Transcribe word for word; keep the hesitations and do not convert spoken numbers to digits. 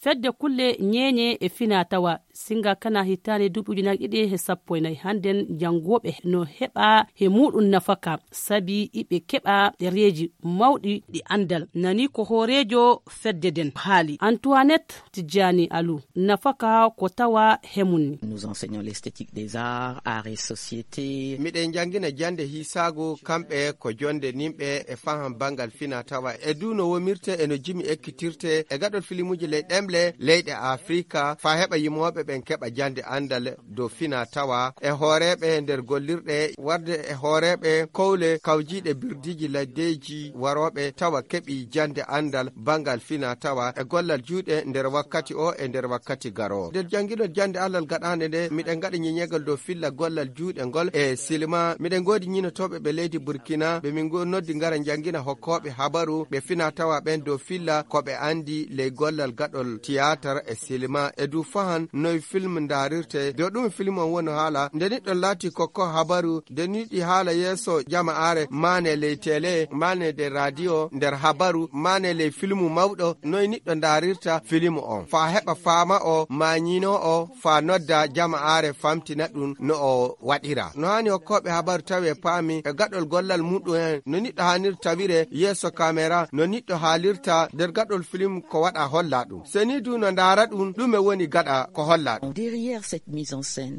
Fedde kulle ñeeñe e finaa tawa singa kana hitaande duuɓi ujunaaji ɗiɗi e sappo e nayi hannden, janngooɓe no heɓa he muuɗum nafaka sabi iɓe keɓa ɗereeji mawɗi ɗi anndal. Nani ko hooreejo fedde nden haali, Antoinette Tijjani Alu, nafaka ko tawa he mum ni. Nous enseignons l'esthétique des arts, arts et société. Miɗen njanngina jannde hiisaagu, kamɓe ko jonnde nimɓe e faham banngal fina tawa e du no womirte e no jimi ekkitirte e gaɗol filimuuji ley ɗemle leyɗe Afrika, faa heɓa yimooɓe ɓen keɓa jannde anndal dow fina tawa e hooreeɓe nder gollirɗe, warde e hooreeɓe kowle kawjiiɗe birdiiji laddeeji warooɓe tawa keɓi jannde anndal banngal fina tawa e gollal juuɗe nder wakkati o e nder wakkati garoowo. Nder jannginol jannde anndal gaɗaande nde, miɗen ngaɗa ñeñeegal dow filla gollal juuɗe ngol e silma. Miɗen ngoodi ñinotooɓe ɓe leydi Burkina, ɓe min ngo-, noddi ngara njanngina hokkooɓe habaru ɓe fina tawa ɓen dow filla ko ɓe anndi ley gollal gaɗol tiyaatar e silma e du fahan noy film ndaarirte. Dow ɗum film on woni haala, nde niɗɗo laati kokko habaru, nde niɗi haala yeeso jama'aare, maane ley tele, maane nder radio, nder habaru, maane ley filmu mawɗo, noy niɗɗo ndaarirta filimu on, faa heɓa faama o, maa ñiino o, faa nodda jama'aare famtina ɗum no o waɗira. No haani hokkooɓe habaru tawi e paami e gaɗol gollal muɗum en, no niɗɗo haanir tawire yeeso kamera, no niɗɗo haalirta nder gaɗol filimu ko waɗa holla ɗum. Seni du no ndaara ɗum, ɗume woni gaɗa ko holla ɗum. Derrière cette mise en scène.